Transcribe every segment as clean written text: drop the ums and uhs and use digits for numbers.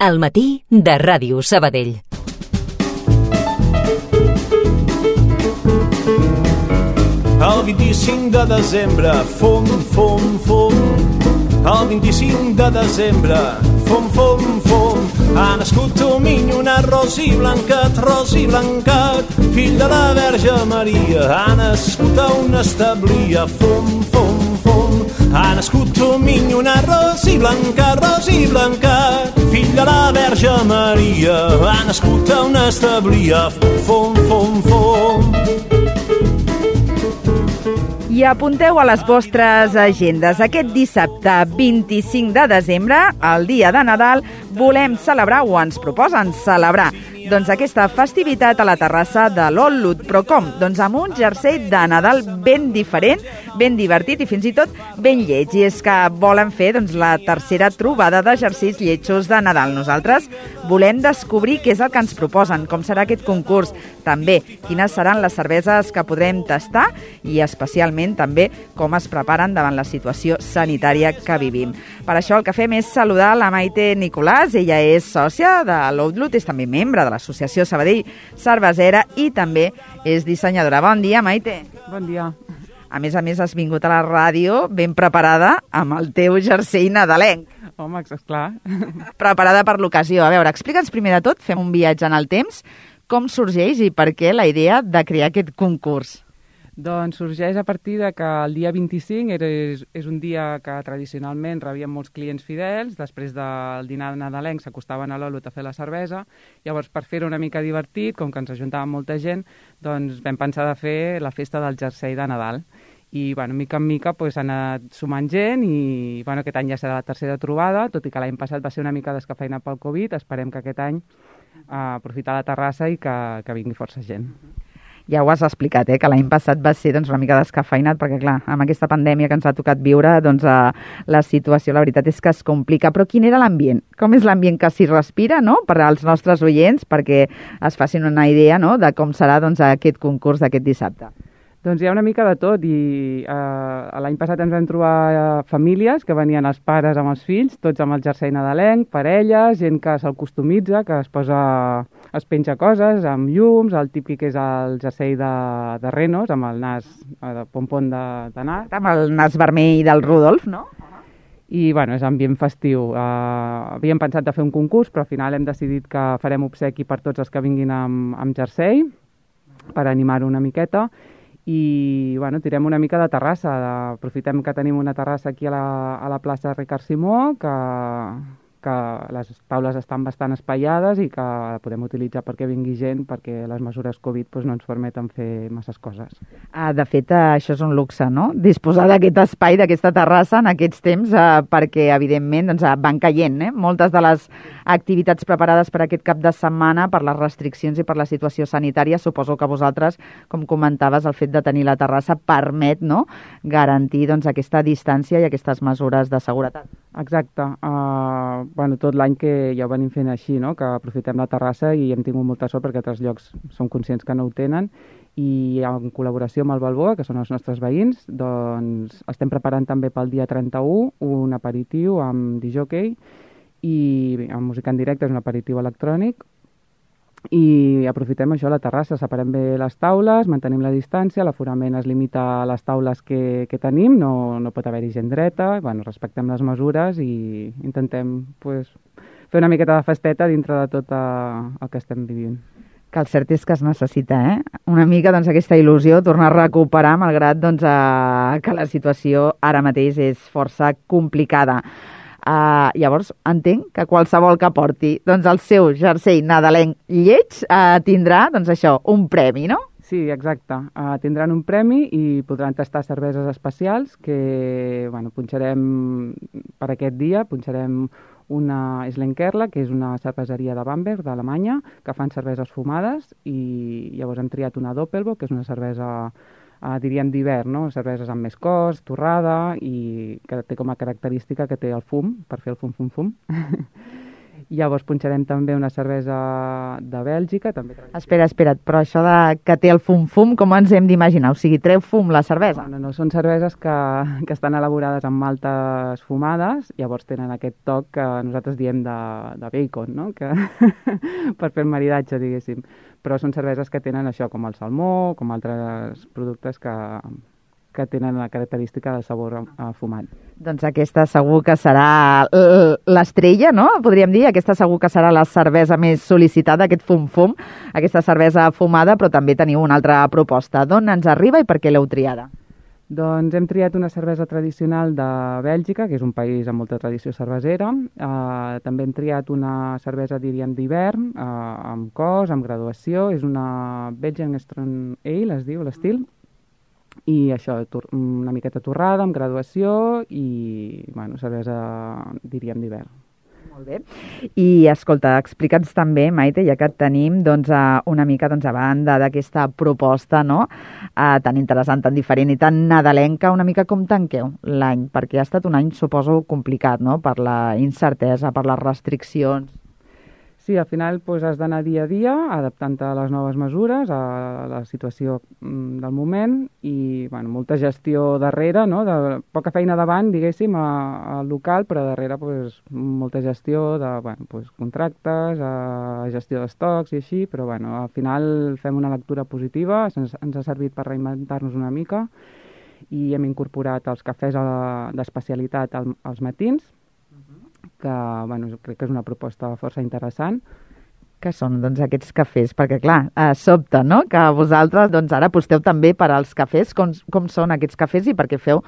Al matí de Ràdio Sabadell. El 25 de desembre, fum, fum, fum. El 25 de desembre, fum, fum, fum. Ha nascut un minyonat rosi blancat, fill de la Verge Maria. Ha nascut a una establia, fum, fum, fum. Ha nascut un minyonat rosi blancat, fill de la Verge Maria. Ha nascut a una establia, fum, fum, fum. I apunteu a les vostres agendes. Aquest dissabte 25 de desembre, el dia de Nadal, volem celebrar, o ens proposen celebrar, doncs aquesta festivitat a la terrassa de l'Ol·lut. Però com? Doncs amb un jersei de Nadal ben diferent, ben divertit i fins i tot ben lleig. I és que volen fer doncs, la tercera trobada de jerseis lletjos de Nadal. Nosaltres volem descobrir què és el que ens proposen, com serà aquest concurs, també quines seran les cerveses que podrem tastar i especialment també com es preparen davant la situació sanitària que vivim. Per això el que fem és saludar la Maite Nicolàs. Ella és sòcia de l'Ol·lut, és també membre de l'Associació Sabadell Cervesera i també és dissenyadora. Bon dia, Maite. Bon dia. A més, has vingut a la ràdio ben preparada amb el teu jersei nadalenc. Home, esclar. Preparada per l'ocasió. A veure, explica'ns primer de tot, fem un viatge en el temps, com sorgeix i per què la idea de crear aquest concurs? Doncs sorgeix a partir de que el dia 25 és un dia que tradicionalment rebíem molts clients fidels, després del dinar nadalenc s'acostaven a l'Ol·lut a fer la cervesa, llavors per fer-ho una mica divertit, com que ens ajuntàvem molta gent, doncs vam pensar de fer la festa del jersei de Nadal. I, mica en mica s'ha anat sumant gent i aquest any ja serà la tercera trobada, tot i que l'any passat va ser una mica descafeïnat pel Covid, esperem que aquest any aprofitar la terrassa i que vingui força gent. Ja ho has explicat, que l'any passat va ser una mica descafeïnat, perquè clar, amb aquesta pandèmia que ens ha tocat viure, la situació, la veritat és que es complica. Però quin era l'ambient? Com és l'ambient que s'hi respira, no?, per als nostres oients, perquè es facin una idea, no?, de com serà aquest concurs d'aquest dissabte. Doncs hi ha una mica de tot i l'any passat ens vam trobar famílies que venien els pares amb els fills, tots amb el jersei nadalenc, parelles, gent que se'l customitza, que es penja coses amb llums, el típic és el jersei de renos, amb el nas de pompon de nas. Amb el nas vermell del Rudolf, no? I és ambient festiu. Havíem pensat de fer un concurs, però al final hem decidit que farem obsequi per tots els que vinguin amb jersei, per animar-ho una miqueta. I tirem una mica de terrassa. Aprofitem que tenim una terrassa aquí a la plaça Ricard Simó, que les taules estan bastant espaiades i que la podem utilitzar perquè vingui gent, perquè les mesures Covid no ens permeten fer masses coses. De fet, això és un luxe, no?, disposar d'aquest espai, d'aquesta terrassa en aquests temps, perquè, evidentment, van caient, moltes de les activitats preparades per aquest cap de setmana, per les restriccions i per la situació sanitària. Suposo que vosaltres, com comentaves, el fet de tenir la terrassa permet, no?, garantir aquesta distància i aquestes mesures de seguretat. Exacte. Tot l'any que ja ho venim fent així, no?, que aprofitem la terrassa i hem tingut molta sort perquè altres llocs som conscients que no ho tenen i en col·laboració amb el Balboa, que són els nostres veïns, doncs estem preparant també pel dia 31 un aperitiu amb disjockey i amb música en directe, és un aperitiu electrònic, i aprofitem això, la terrassa, separem bé les taules, mantenim la distància, l'aforament es limita a les taules que tenim, no pot haver-hi gent dreta, respectem les mesures i intentem fer una miqueta de festeta dintre de tot el que estem vivint. Que el cert és que es necessita, una mica aquesta il·lusió, tornar a recuperar, malgrat que la situació ara mateix és força complicada. Llavors, entenc que qualsevol que porti el seu jersei nadalenc lleig tindrà, un premi, no? Sí, exacte. Tindran un premi i podran tastar cerveses especials que punxarem per aquest dia. Punxarem una Slenkerla, que és una cerveseria de Bamberg, d'Alemanya, que fan cerveses fumades, i llavors hem triat una Doppelbock, que és una cervesa diríem d'hivern, no?, cerveses amb més cos, torrada, i que té com a característica que té el fum, per fer el fum-fum-fum. Llavors punxarem també una cervesa de Bèlgica. També Espera't, però això que té el fum-fum, com ens hem d'imaginar? O sigui, treu fum la cervesa? No, són cerveses que estan elaborades amb maltes fumades, llavors tenen aquest toc que nosaltres diem de bacon, no? Per fer el maridatge, diguéssim. Però són cerveses que tenen això, com el salmó, com altres productes que tenen la característica de sabor fumat. Doncs aquesta segur que serà l'estrella, no? Podríem dir, aquesta segur que serà la cervesa més sol·licitada, aquest fum-fum, aquesta cervesa fumada, però també teniu una altra proposta. D'on ens arriba i per què l'heu triada? Doncs hem triat una cervesa tradicional de Bèlgica, que és un país amb molta tradició cervesera. També hem triat una cervesa, diríem, d'hivern, amb cos, amb graduació. És una Belgian Strong Ale, es diu l'estil. I això, una miqueta torrada, amb graduació i, cervesa, diríem, d'hivern. Molt bé. I, escolta, explica'ns també, Maite, ja que et tenim, doncs, una mica a banda d'aquesta proposta, no?, tan interessant, tan diferent i tan nadalenca, una mica com tanqueu l'any, perquè ha estat un any, suposo, complicat, no?, per la incertesa, per les restriccions. Sí, al final has d'anar dia a dia adaptant-te a les noves mesures, a la situació del moment i molta gestió darrere, no? De poca feina davant, diguéssim, al local, però darrere molta gestió de contractes, gestió d'estocs i així, però al final fem una lectura positiva, ens ha servit per reinventar-nos una mica i hem incorporat els cafès d'especialitat als matins, que crec que és una proposta força interessant. Que són aquests cafès? Perquè clar, sobta, no?, que vosaltres ara aposteu també per als cafès. Com són aquests cafès i per què feu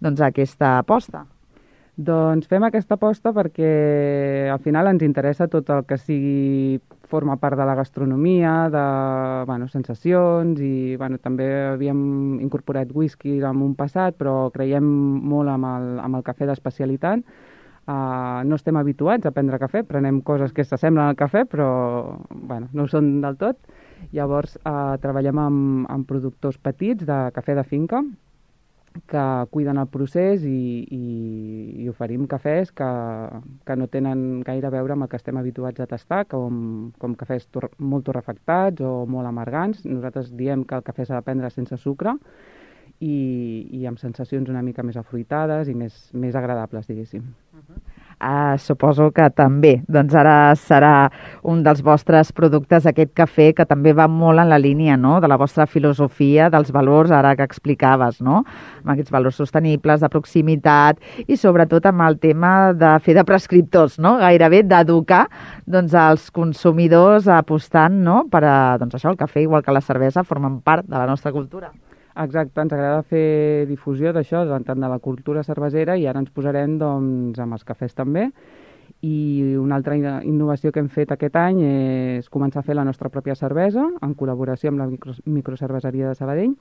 aquesta aposta? Doncs fem aquesta aposta perquè al final ens interessa tot el que forma part de la gastronomia, de sensacions i també havíem incorporat whisky en un passat, però creiem molt amb el cafè d'especialitat. No estem habituats a prendre cafè, prenem coses que s'assemblen al cafè, però no ho són del tot. Llavors treballem amb productors petits de cafè de finca que cuiden el procés i oferim cafès que no tenen gaire a veure amb el que estem habituats a tastar, com cafès molt torrefactats o molt amargants. Nosaltres diem que el cafè s'ha de prendre sense sucre i amb sensacions una mica més afruitades i més agradables, diguéssim. Suposo que també, ara serà un dels vostres productes, aquest cafè, que també va molt en la línia, no?, de la vostra filosofia, dels valors, ara que explicaves, no?, amb aquests valors sostenibles, de proximitat i sobretot amb el tema de fer de prescriptors, no?, gairebé d'educar els consumidors apostant, no?, per això el cafè, igual que la cervesa, formen part de la nostra cultura. Exacte, ens agrada fer difusió d'això, tant de la cultura cervesera, i ara ens posarem amb els cafès també. I una altra innovació que hem fet aquest any és començar a fer la nostra pròpia cervesa, en col·laboració amb la microcerveseria de Sabadell.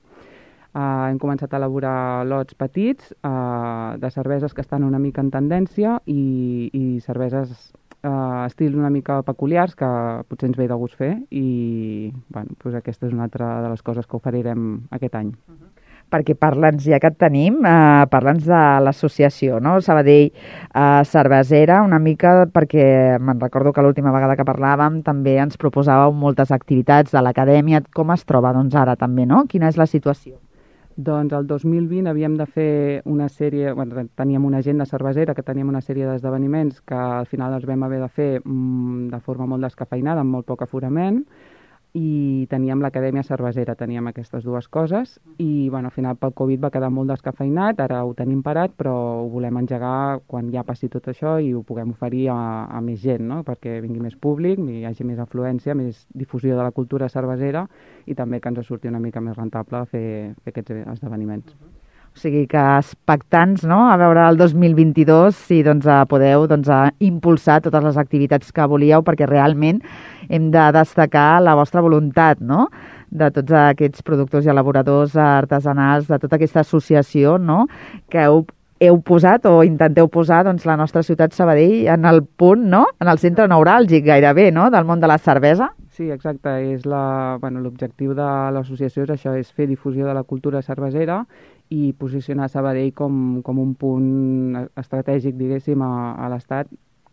Hem començat a elaborar lots petits de cerveses que estan una mica en tendència i cerveses estil una mica peculiars que potser ens ve de gust fer i aquesta és una altra de les coses que oferirem aquest any. Perquè parla'ns, ja que et tenim, parla'ns de l'associació, no?, Sabadell Cervesera, una mica perquè me'n recordo que l'última vegada que parlàvem també ens proposàveu moltes activitats de l'acadèmia. Com es troba ara també, no? Quina és la situació? Doncs el 2020 havíem de fer una sèrie, teníem una agenda cervesera, que teníem una sèrie d'esdeveniments que al final els vam haver de fer de forma molt descafeinada, amb molt poc aforament, i teníem l'acadèmia cervesera, teníem aquestes dues coses, i al final pel Covid va quedar molt descafeinat, ara ho tenim parat, però ho volem engegar quan ja passi tot això i ho puguem oferir a més gent, no?, perquè vingui més públic, hi hagi més afluència, més difusió de la cultura cervesera i també que ens surti una mica més rentable fer aquests esdeveniments. O sigui que expectants, no?, a veure el 2022 si podeu impulsar totes les activitats que volíeu, perquè realment hem de destacar la vostra voluntat, no?, de tots aquests productors i elaboradors artesanals, de tota aquesta associació, no?, que heu posat o intenteu posar la nostra ciutat Sabadell en el punt, no?, en el centre neuràlgic gairebé, no?, del món de la cervesa. Sí, exacte. L'objectiu de l'associació és això, és fer difusió de la cultura cervesera i posicionar Sabadell com un punt estratègic, diguéssim, a l'Estat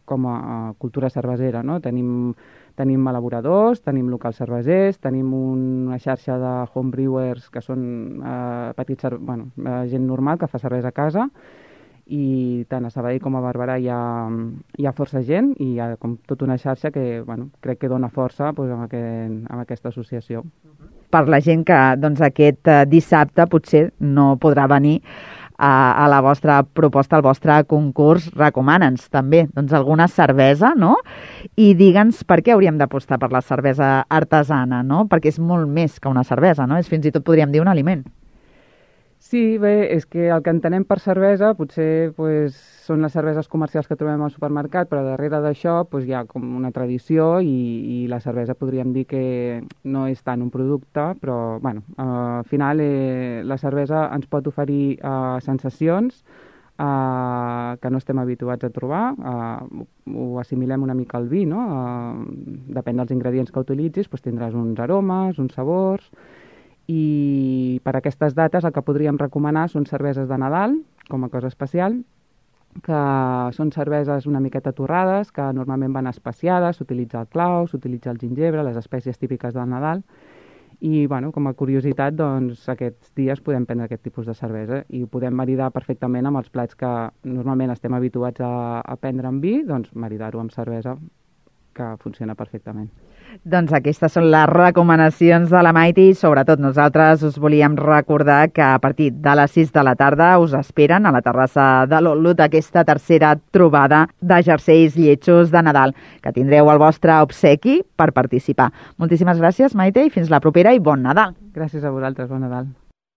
com a cultura cervesera, no? Tenim elaboradors, tenim locals cervesers, tenim una xarxa de homebrewers que són gent normal que fa cervesa a casa, i tant a Sabadell com a Barberà hi ha força gent i hi ha com tota una xarxa que crec que dona força amb aquesta associació. Per la gent que aquest dissabte potser no podrà venir a la vostra proposta, al vostre concurs, recomana'ns també alguna cervesa, no? I digue'ns per què hauríem d'apostar per la cervesa artesana, no? Perquè és molt més que una cervesa, no? És fins i tot, podríem dir, un aliment. Sí, bé, és que el que entenem per cervesa potser són les cerveses comercials que trobem al supermercat, però darrere d'això hi ha com una tradició i la cervesa podríem dir que no és tant un producte, però al final la cervesa ens pot oferir sensacions que no estem habituats a trobar, ho assimilem una mica al vi, no? Depèn dels ingredients que utilitzis, tindràs uns aromes, uns sabors. I per aquestes dates el que podríem recomanar són cerveses de Nadal, com a cosa especial, que són cerveses una miqueta torrades, que normalment van especiades, s'utilitza el clau, s'utilitza el gingebre, les espècies típiques del Nadal, i com a curiositat aquests dies podem prendre aquest tipus de cervesa i ho podem maridar perfectament amb els plats que normalment estem habituats a prendre amb vi, maridar-ho amb cervesa, que funciona perfectament. Doncs aquestes són les recomanacions de la Maite i sobretot nosaltres us volíem recordar que a partir de les 6 de la tarda us esperen a la terrassa de l'Olot aquesta tercera trobada de jerseis lletjos de Nadal, que tindreu el vostre obsequi per participar. Moltíssimes gràcies, Maite, i fins la propera i bon Nadal. Gràcies a vosaltres, bon Nadal.